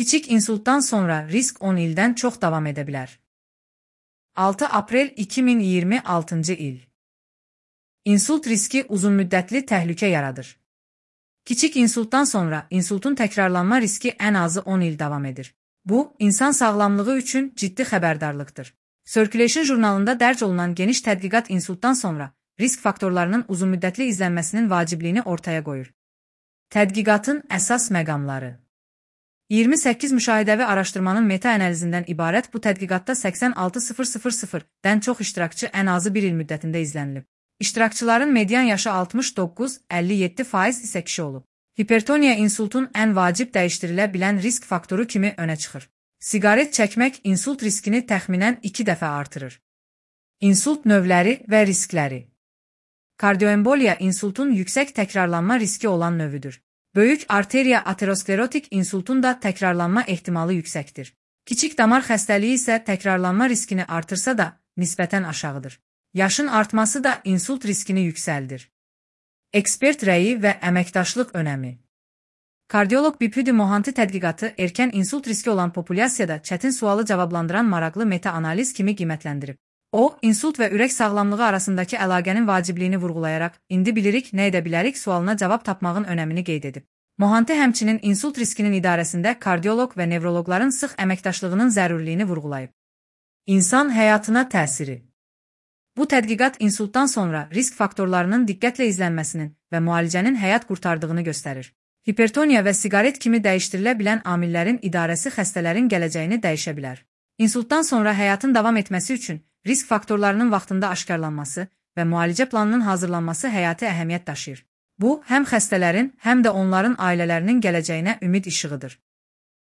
Kiçik insultdan sonra risk 10 ildən çox davam edə bilər. 6 aprel 2026 il. İnsult riski uzunmüddətli təhlükə yaradır. Kiçik insultdan sonra insultun təkrarlanma riski ən azı 10 il davam edir. Bu, insan sağlamlığı üçün ciddi xəbərdarlıqdır. Circulation jurnalında dərc olunan geniş tədqiqat insultdan sonra risk faktorlarının uzunmüddətli izlənməsinin vacibliyini ortaya qoyur. Tədqiqatın əsas məqamları. 28 müşahidəvi araşdırmanın meta-analizindən ibarət bu tədqiqatda 86.000-dən çox iştirakçı ən azı bir il müddətində izlənilib. İştirakçıların median yaşı 69-57% isə kişi olub. Hipertoniya insultun ən vacib dəyişdirilə bilən risk faktoru kimi önə çıxır. Siqaret çəkmək insult riskini təxminən 2 dəfə artırır. İnsult növləri və riskləri. Kardioemboliya insultun yüksək təkrarlanma riski olan növüdür. Böyük arteriya aterosklerotik insultun da təkrarlanma ehtimalı yüksəkdir. Kiçik damar xəstəliyi isə təkrarlanma riskini artırsa da nisbətən aşağıdır. Yaşın artması da insult riskini yüksəldir. Ekspert rəyi və əməkdaşlıq önəmi. Kardioloq Bipudi Mohanty tədqiqatı erkən insult riski olan populyasiyada çətin sualı cavablandıran maraqlı meta-analiz kimi qiymətləndirib. O, insult və ürək sağlamlığı arasındakı əlaqənin vacibliyini vurğulayaraq, indi bilirik, nə edə bilərik sualına cavab tapmağın önəmini qeyd edib. Mohanty həmçinin insult riskinin idarəsində kardioloq və nevroloqların sıx əməkdaşlığının zərurliyini vurğulayıb. İnsan həyatına təsiri. Bu tədqiqat insultdan sonra risk faktorlarının diqqətlə izlənməsinin və müalicənin həyat qurtardığını göstərir. Hipertoniya və siqaret kimi dəyişdirilə bilən amillərin idarəsi xəstələrin gələcəyini dəyişə bilər. İnsultdan sonra həyatın davam etməsi üçün risk faktorlarının vaxtında aşkarlanması və müalicə planının hazırlanması həyati əhəmiyyət daşıyır. Bu, həm xəstələrin, həm də onların ailələrinin gələcəyinə ümid işığıdır.